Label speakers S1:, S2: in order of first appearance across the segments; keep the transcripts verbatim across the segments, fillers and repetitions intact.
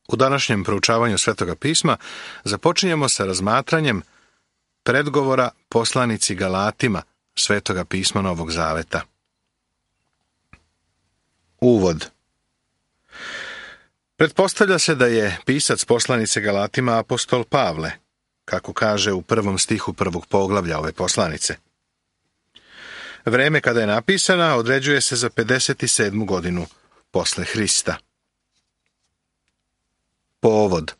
S1: U današnjem proučavanju Svetoga pisma započinjemo sa razmatranjem predgovora poslanici Galatima Svetoga pisma Novog Zaveta. Uvod. Pretpostavlja se da je pisac poslanice Galatima apostol Pavle, kako kaže u prvom stihu prvog poglavlja ove poslanice. Vreme kada je napisana određuje se za pedeset sedmu godinu posle Hrista. Povod.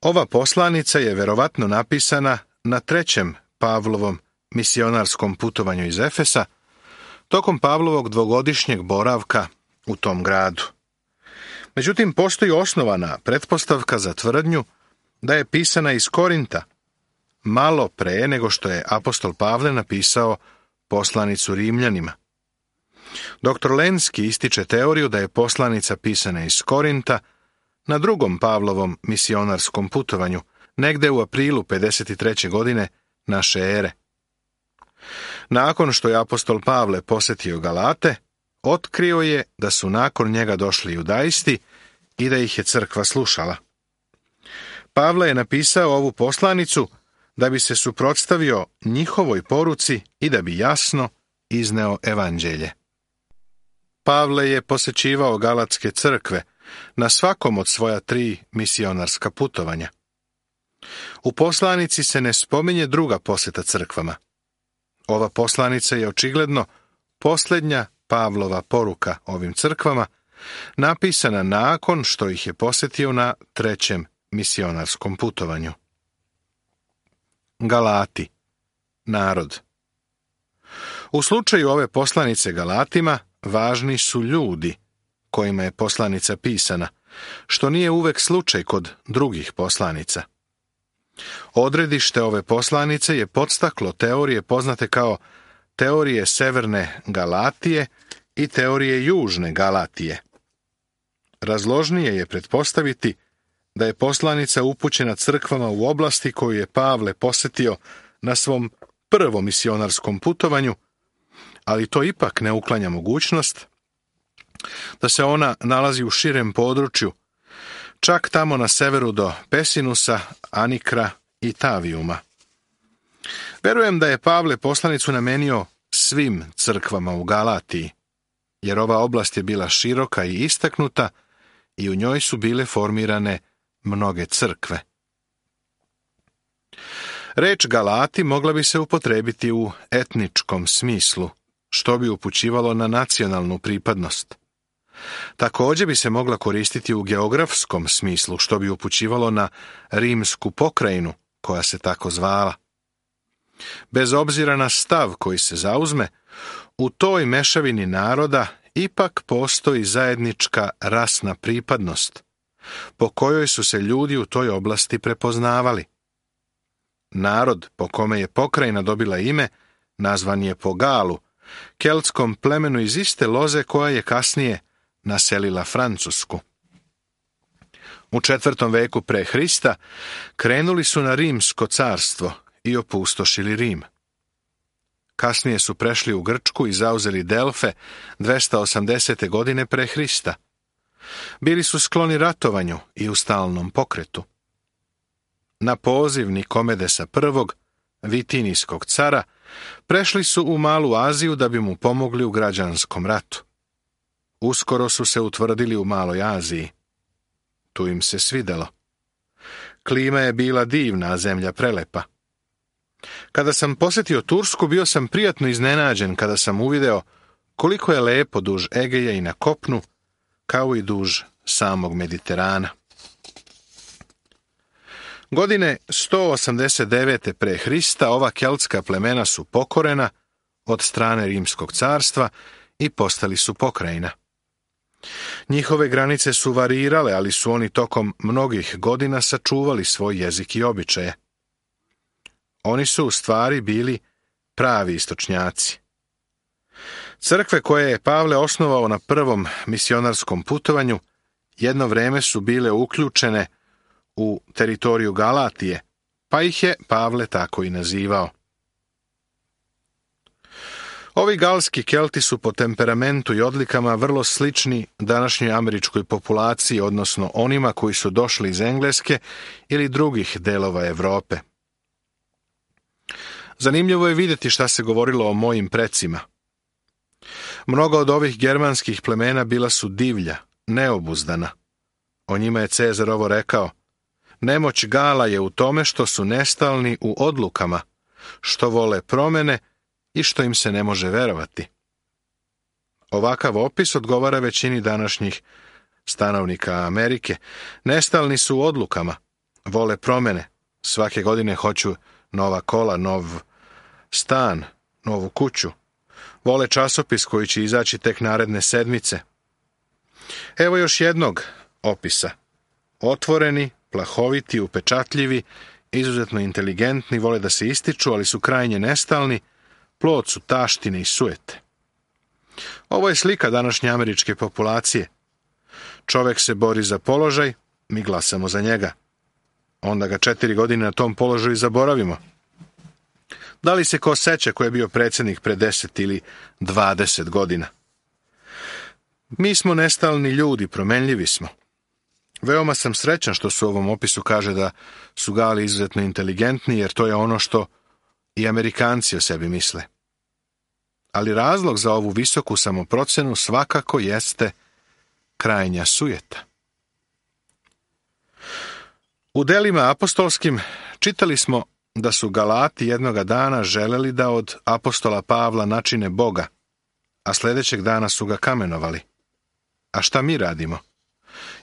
S1: Ova poslanica je verovatno napisana na trećem Pavlovom misionarskom putovanju iz Efesa, tokom Pavlovog dvogodišnjeg boravka u tom gradu. Međutim, postoji osnovana pretpostavka za tvrdnju da je pisana iz Korinta, malo pre nego što je apostol Pavle napisao poslanicu Rimljanima. Doktor Lenski ističe teoriju da je poslanica pisana iz Korinta na drugom Pavlovom misionarskom putovanju, negde u aprilu pedeset treće godine naše ere. Nakon što je apostol Pavle posetio Galate, otkrio je da su nakon njega došli judaisti i da ih je crkva slušala. Pavle je napisao ovu poslanicu da bi se suprotstavio njihovoj poruci i da bi jasno izneo evanđelje. Pavle je posećivao galatske crkve na svakom od svoja tri misionarska putovanja. U poslanici se ne spominje druga poseta crkvama. Ova poslanica je očigledno posljednja Pavlova poruka ovim crkvama, napisana nakon što ih je posetio na trećem misionarskom putovanju. Galati, narod. U slučaju ove poslanice Galatima važni su ljudi kojima je poslanica pisana, što nije uvek slučaj kod drugih poslanica. Odredište ove poslanice je podstaklo teorije poznate kao teorije severne Galatije i teorije južne Galatije. Razložnije je pretpostaviti da je poslanica upućena crkvama u oblasti koju je Pavle posetio na svom prvom misionarskom putovanju, ali to ipak ne uklanja mogućnost da se ona nalazi u širem području, čak tamo na severu do Pesinusa, Anikra i Tavijuma. Verujem da je Pavle poslanicu namenio svim crkvama u Galatiji, jer ova oblast je bila široka i istaknuta i u njoj su bile formirane mnoge crkve. Reč Galati mogla bi se upotrebiti u etničkom smislu, što bi upućivalo na nacionalnu pripadnost. Također bi se mogla koristiti u geografskom smislu, što bi upućivalo na rimsku pokrajinu, koja se tako zvala. Bez obzira na stav koji se zauzme, u toj mešavini naroda ipak postoji zajednička rasna pripadnost, po kojoj su se ljudi u toj oblasti prepoznavali. Narod po kome je pokrajina dobila ime nazvan je po Galu, keltskom plemenu iz iste loze koja je kasnije naselila Francusku. U četvrtom veku pre Hrista krenuli su na Rimsko carstvo i opustošili Rim. Kasnije su prešli u Grčku i zauzeli Delfe dvesta osamdesete godine pre Hrista. Bili su skloni ratovanju i u stalnom pokretu. Na poziv Nikomedesa prvog, Vitinijskog cara, prešli su u Malu Aziju da bi mu pomogli u građanskom ratu. Uskoro su se utvrdili u Maloj Aziji. Tu im se svidelo. Klima je bila divna, a zemlja prelepa. Kada sam posjetio Tursku, bio sam prijatno iznenađen kada sam uvideo koliko je lepo duž Egeja i na kopnu, kao i duž samog Mediterana. Godine sto osamdeset devete pre Hrista ova keltska plemena su pokorena od strane Rimskog carstva i postali su pokrajina. Njihove granice su varirale, ali su oni tokom mnogih godina sačuvali svoj jezik i običaje. Oni su u stvari bili pravi istočnjaci. Crkve koje je Pavle osnovao na prvom misionarskom putovanju jedno vreme su bile uključene u teritoriju Galatije, pa ih je Pavle tako i nazivao. Ovi galski Kelti su po temperamentu i odlikama vrlo slični današnjoj američkoj populaciji, odnosno onima koji su došli iz Engleske ili drugih delova Evrope. Zanimljivo je vidjeti šta se govorilo o mojim precima. Mnoga od ovih germanskih plemena bila su divlja, neobuzdana. O njima je Cezar ovo rekao: nemoć Gala je u tome što su nestalni u odlukama, što vole promene i što im se ne može verovati. Ovakav opis odgovara većini današnjih stanovnika Amerike. Nestalni su u odlukama, vole promene, svake godine hoću nova kola, nov stan, novu kuću. Vole časopis koji će izaći tek naredne sedmice. Evo još jednog opisa. Otvoreni, plahoviti, upečatljivi, izuzetno inteligentni, vole da se ističu, ali su krajnje nestalni, plod su taštine i sujete. Ovo je slika današnje američke populacije. Čovek se bori za položaj, mi glasamo za njega. Onda ga četiri godine na tom položaju zaboravimo. Da li se ko seća ko je bio predsjednik pre deset ili dvadeset godina? Mi smo nestalni ljudi, promenljivi smo. Veoma sam srećan što se u ovom opisu kaže da su Gali izuzetno inteligentni, jer to je ono što i Amerikanci o sebi misle. Ali razlog za ovu visoku samoprocenu svakako jeste krajnja sujeta. U delima apostolskim čitali smo da su Galati jednoga dana želeli da od apostola Pavla načine Boga, a sljedećeg dana su ga kamenovali. A šta mi radimo?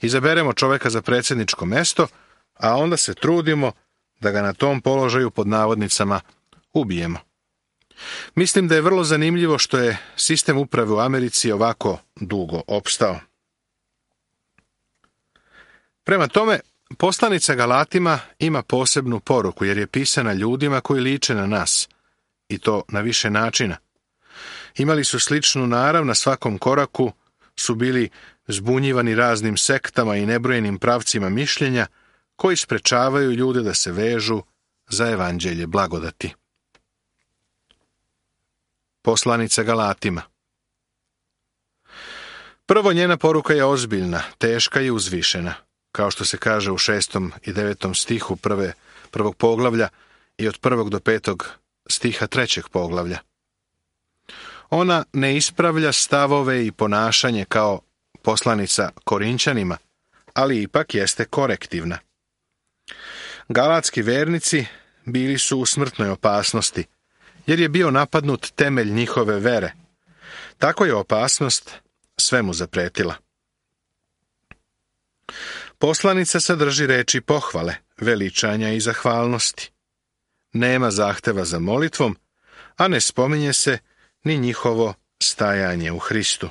S1: Izaberemo čoveka za predsjedničko mesto, a onda se trudimo da ga na tom položaju pod navodnicama ubijemo. Mislim da je vrlo zanimljivo što je sistem uprave u Americi ovako dugo opstao. Prema tome, poslanica Galatima ima posebnu poruku, jer je pisana ljudima koji liče na nas, i to na više načina. Imali su sličnu narav, na svakom koraku su bili zbunjivani raznim sektama i nebrojenim pravcima mišljenja koji sprečavaju ljude da se vežu za evanđelje blagodati. Poslanica Galatima. Prvo, njena poruka je ozbiljna, teška i uzvišena, kao što se kaže u šestom i devetom stihu prve, prvog poglavlja i od prvog do petog stiha trećeg poglavlja. Ona ne ispravlja stavove i ponašanje kao poslanica Korinćanima, ali ipak jeste korektivna. Galatski vernici bili su u smrtnoj opasnosti, jer je bio napadnut temelj njihove vere. Tako je opasnost svemu zapretila. Poslanica sadrži reči pohvale, veličanja i zahvalnosti. Nema zahteva za molitvom, a ne spominje se ni njihovo stajanje u Hristu.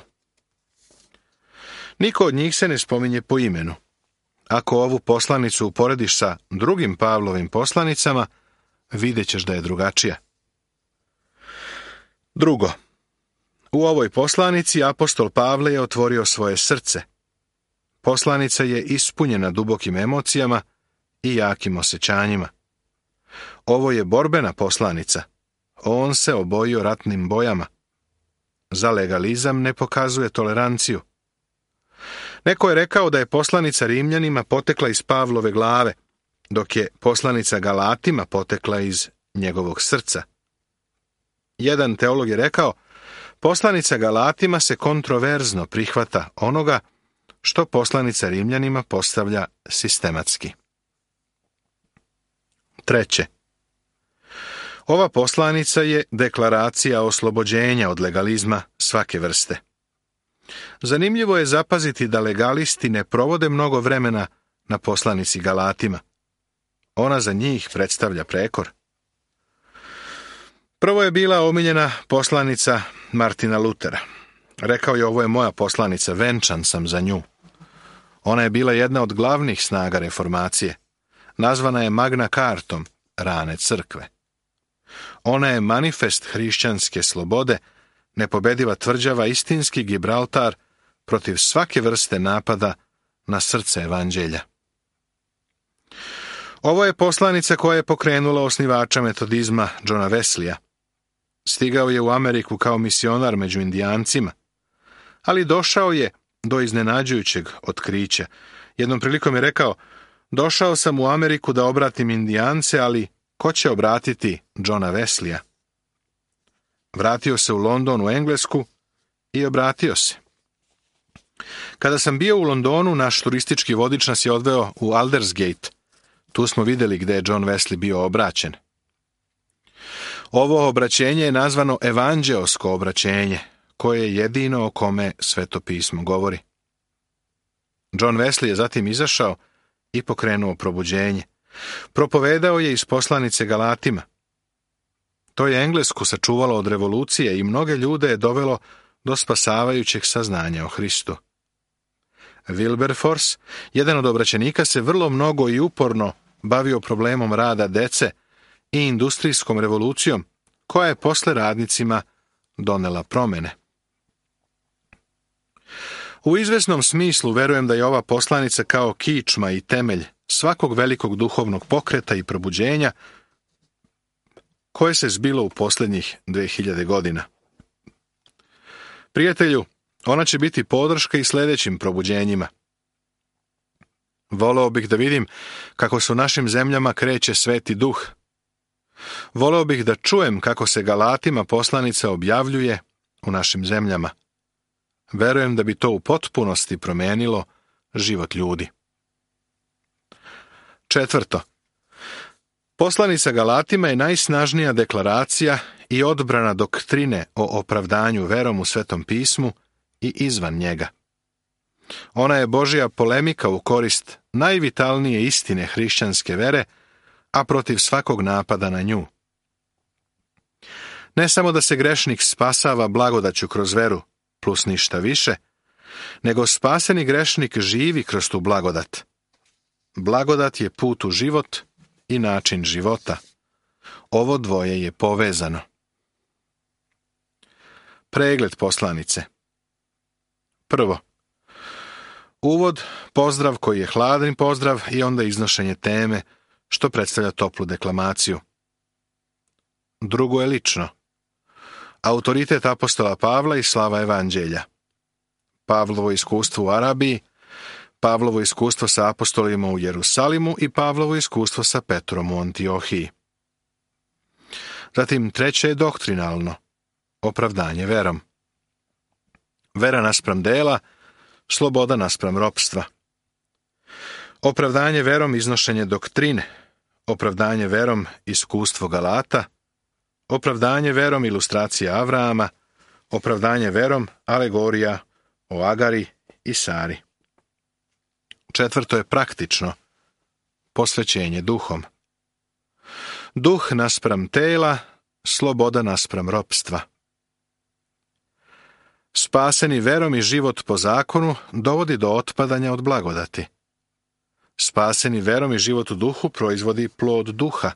S1: Niko od njih se ne spominje po imenu. Ako ovu poslanicu uporediš sa drugim Pavlovim poslanicama, vidjet ćeš da je drugačija. Drugo, u ovoj poslanici apostol Pavle je otvorio svoje srce. Poslanica je ispunjena dubokim emocijama i jakim osjećanjima. Ovo je borbena poslanica. On se obojio ratnim bojama. Za legalizam ne pokazuje toleranciju. Neko je rekao da je poslanica Rimljanima potekla iz Pavlove glave, dok je poslanica Galatima potekla iz njegovog srca. Jedan teolog je rekao, poslanica Galatima se kontroverzno prihvata onoga što poslanica Rimljanima postavlja sistematski. Treće. Ova poslanica je deklaracija oslobođenja od legalizma svake vrste. Zanimljivo je zapaziti da legalisti ne provode mnogo vremena na poslanici Galatima. Ona za njih predstavlja prekor. Prvo je bila omiljena poslanica Martina Lutera. Rekao je, ovo je moja poslanica, venčan sam za nju. Ona je bila jedna od glavnih snaga reformacije. Nazvana je Magna Cartom, rane crkve. Ona je manifest hrišćanske slobode, nepobediva tvrđava, istinski Gibraltar protiv svake vrste napada na srce evanđelja. Ovo je poslanica koja je pokrenula osnivača metodizma Johna Wesleya. Stigao je u Ameriku kao misionar među Indijancima, ali došao je do iznenađujućeg otkrića. Jednom prilikom je rekao: došao sam u Ameriku da obratim Indijance, ali ko će obratiti Johna Wesleya? Vratio se u London, u Englesku, i obratio se. Kada sam bio u Londonu, naš turistički vodič nas je odveo u Aldersgate. Tu smo vidjeli gdje je John Wesley bio obraćen. Ovo obraćenje je nazvano evanđeosko obraćenje, koje je jedino o kome Sveto pismo govori. John Wesley je zatim izašao i pokrenuo probuđenje. Propovedao je iz poslanice Galatima. To je Englesku sačuvalo od revolucije i mnoge ljude je dovelo do spasavajućeg saznanja o Hristu. Wilberforce, jedan od obraćenika, se vrlo mnogo i uporno bavio problemom rada dece i industrijskom revolucijom, koja je posle radnicima donela promjene. U izvesnom smislu verujem da je ova poslanica kao kičma i temelj svakog velikog duhovnog pokreta i probuđenja koje se zbilo u posljednjih dve hiljade godina. Prijatelju, ona će biti podrška i sljedećim probuđenjima. Voleo bih da vidim kako se u našim zemljama kreće Sveti Duh. Voleo bih da čujem kako se Galatima poslanica objavljuje u našim zemljama. Verujem da bi to u potpunosti promijenilo život ljudi. Četvrto. Poslanica Galatima je najsnažnija deklaracija i odbrana doktrine o opravdanju verom u Svetom pismu i izvan njega. Ona je Božja polemika u korist najvitalnije istine hrišćanske vere, a protiv svakog napada na nju. Ne samo da se grešnik spasava blagodaću kroz veru, plus ništa više, nego spaseni grešnik živi kroz tu blagodat. Blagodat je put u život i način života. Ovo dvoje je povezano. Pregled poslanice. Prvo. Uvod, pozdrav koji je hladan pozdrav i onda iznošenje teme, što predstavlja toplu deklamaciju. Drugo je lično. Autoritet apostola Pavla i slava evanđelja. Pavlovo iskustvo u Arabiji, Pavlovo iskustvo sa apostolima u Jerusalimu i Pavlovo iskustvo sa Petrom u Antiohiji. Zatim treće je doktrinalno. Opravdanje verom. Vera naspram dela, sloboda naspram ropstva. Opravdanje verom iznošenje doktrine. Opravdanje verom iskustvo Galata. Opravdanje verom ilustracija Avrama. Opravdanje verom alegorija o Agari i Sari. Četvrto je praktično. Posvećenje duhom. Duh naspram tela, sloboda naspram ropstva. Spaseni verom i život po zakonu dovodi do otpadanja od blagodati. Spaseni verom i život u duhu proizvodi plod duha.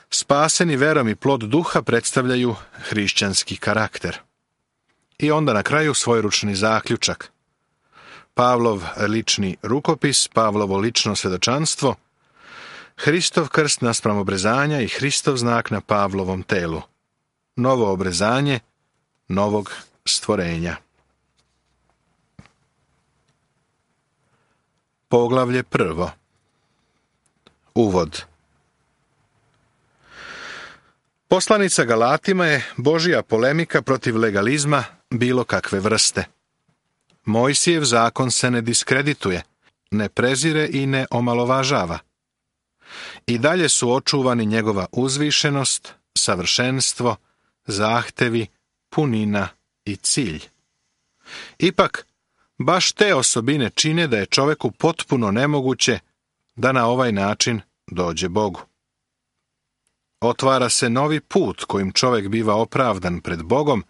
S1: Spaseni verom i plod duha predstavljaju hrišćanski karakter. I onda na kraju svojeručni zaključak. Pavlov lični rukopis, Pavlovo lično svjedočanstvo, Hristov krst naspram obrezanja i Hristov znak na Pavlovom telu. Novo obrezanje novog stvorenja. Poglavlje prvo. Uvod. Poslanica Galatima je Božja polemika protiv legalizma bilo kakve vrste. Mojsijev zakon se ne diskredituje, ne prezire i ne omalovažava. I dalje su očuvani njegova uzvišenost, savršenstvo, zahtevi, punina i cilj. Ipak, baš te osobine čine da je čoveku potpuno nemoguće da na ovaj način dođe Bogu. Otvara se novi put kojim čovek biva opravdan pred Bogom,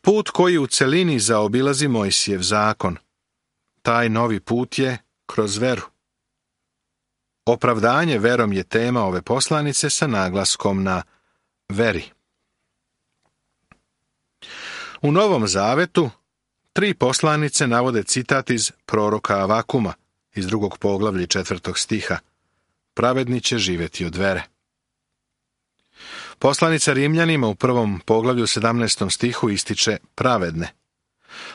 S1: put koji u celini zaobilazi Mojsijev zakon. Taj novi put je kroz veru. Opravdanje verom je tema ove poslanice sa naglaskom na veri. U Novom Zavetu tri poslanice navode citat iz proroka Avakuma, iz drugog poglavlja četvrtog stiha. Pravedni će živjeti od vere. Poslanica Rimljanima u prvom poglavlju sedamnaestom stihu ističe pravedne.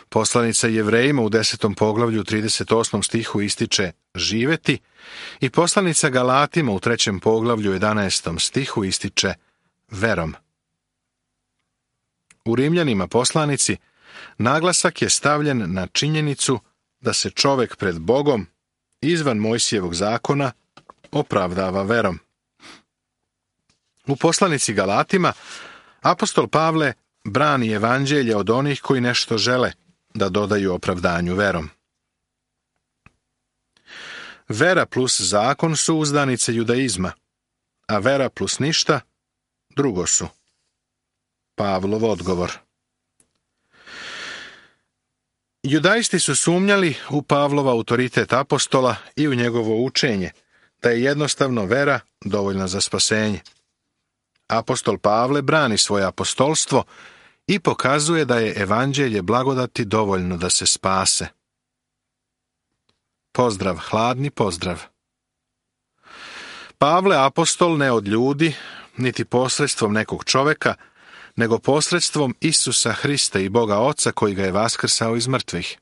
S1: Poslanica Jevrejima u desetom poglavlju trideset osmom stihu ističe živeti i poslanica Galatima u trećem poglavlju jedanaestom stihu ističe verom. U Rimljanima poslanici naglasak je stavljen na činjenicu da se čovek pred Bogom izvan Mojsijevog zakona opravdava verom. U poslanici Galatima apostol Pavle brani evanđelje od onih koji nešto žele da dodaju opravdanju verom. Vera plus zakon su uzdanice judaizma, a vera plus ništa drugo su. Pavlov odgovor. Judaisti su sumnjali u Pavlova autoritet apostola i u njegovo učenje, da je jednostavno vera dovoljna za spasenje. Apostol Pavle brani svoje apostolstvo i pokazuje da je evanđelje blagodati dovoljno da se spase. Pozdrav, hladni pozdrav. Pavle apostol ne od ljudi, niti posredstvom nekog čoveka, nego posredstvom Isusa Hrista i Boga Oca koji ga je vaskrsao iz mrtvih.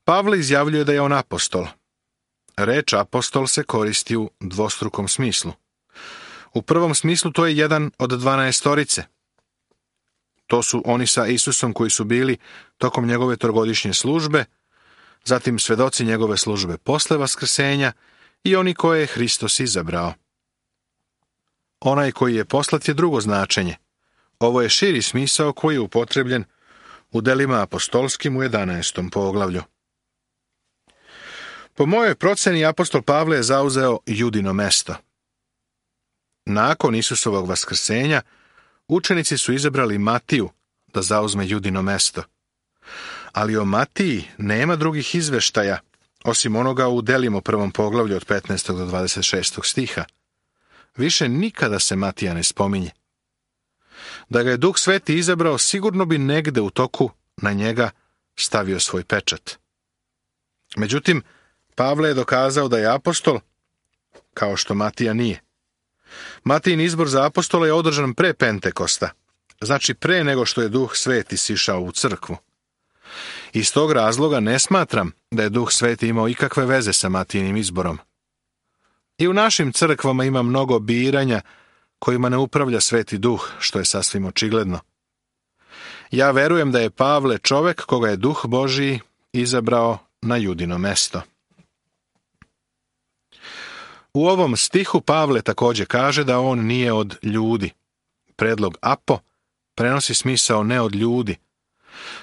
S1: Pavle izjavljuje da je on apostol. Reč apostol se koristi u dvostrukom smislu. U prvom smislu to je jedan od dvanaestorice. To su oni sa Isusom koji su bili tokom njegove trogodišnje službe, zatim svedoci njegove službe posle vaskrsenja i oni koje je Hristos izabrao. Onaj koji je poslat je drugo značenje. Ovo je širi smisao koji je upotrebljen u delima apostolskim u jedanaestom poglavlju. Po mojoj proceni apostol Pavle je zauzeo Judino mesto. Nakon Isusovog vaskrsenja, učenici su izabrali Matiju da zauzme Judino mesto. Ali o Matiji nema drugih izveštaja, osim onoga u delima u prvom poglavlju od petnaestog do dvadeset šestog stiha. Više nikada se Matija ne spominje. Da ga je Duh Sveti izabrao, sigurno bi negde u toku na njega stavio svoj pečat. Međutim, Pavle je dokazao da je apostol, kao što Matija nije. Matijin izbor za apostola je održan pre Pentekosta, znači pre nego što je Duh Sveti sišao u crkvu. Iz tog razloga ne smatram da je Duh Sveti imao ikakve veze sa Matijinim izborom. I u našim crkvama ima mnogo biranja kojima ne upravlja Sveti Duh, što je sasvim očigledno. Ja verujem da je Pavle čovek koga je Duh Božiji izabrao na Judino mesto. U ovom stihu Pavle također kaže da on nije od ljudi. Predlog apo prenosi smisao ne od ljudi,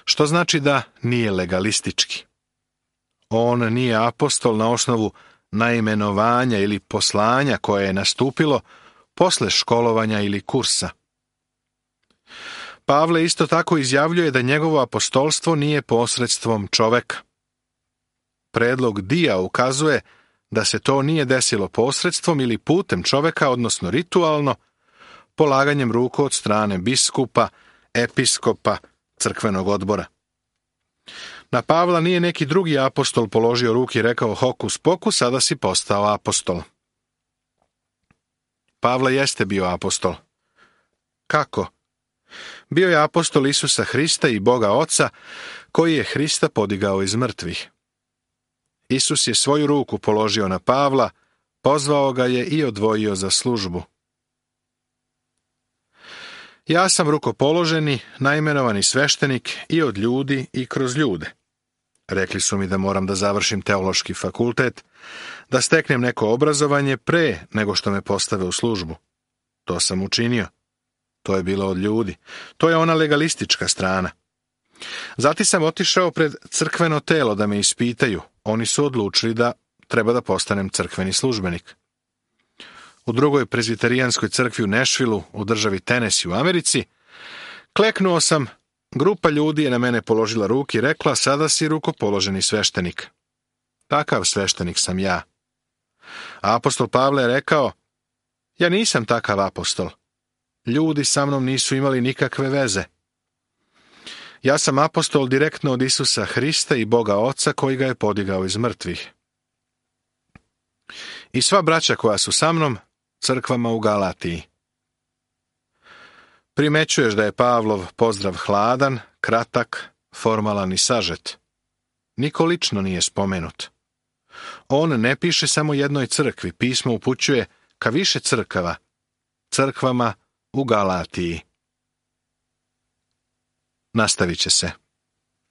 S1: što znači da nije legalistički. On nije apostol na osnovu naimenovanja ili poslanja koje je nastupilo posle školovanja ili kursa. Pavle isto tako izjavljuje da njegovo apostolstvo nije posredstvom čoveka. Predlog dia ukazuje da se to nije desilo posredstvom ili putem čoveka, odnosno ritualno, polaganjem ruku od strane biskupa, episkopa, crkvenog odbora. Na Pavla nije neki drugi apostol položio ruke i rekao hokus pokus, sada si postao apostol. Pavle jeste bio apostol. Kako? Bio je apostol Isusa Hrista i Boga Oca, koji je Hrista podigao iz mrtvih. Isus je svoju ruku položio na Pavla, pozvao ga je i odvojio za službu. Ja sam rukopoloženi, naimenovani sveštenik i od ljudi i kroz ljude. Rekli su mi da moram da završim teološki fakultet, da steknem neko obrazovanje pre nego što me postave u službu. To sam učinio. To je bilo od ljudi. To je ona legalistička strana. Zatim sam otišao pred crkveno telo da me ispitaju. Oni su odlučili da treba da postanem crkveni službenik. U drugoj prezbiterijanskoj crkvi u Nashvillu, u državi Tennessee u Americi, kleknuo sam, grupa ljudi je na mene položila ruke i rekla, sada si rukopoloženi sveštenik. Takav sveštenik sam ja. A apostol Pavle je rekao, ja nisam takav apostol. Ljudi sa mnom nisu imali nikakve veze. Ja sam apostol direktno od Isusa Hrista i Boga Oca koji ga je podigao iz mrtvih. I sva braća koja su sa mnom, crkvama u Galatiji. Primećuješ da je Pavlov pozdrav hladan, kratak, formalan i sažet. Niko lično nije spomenut. On ne piše samo jednoj crkvi, pismo upućuje ka više crkava, crkvama u Galatiji. Nastavit će se.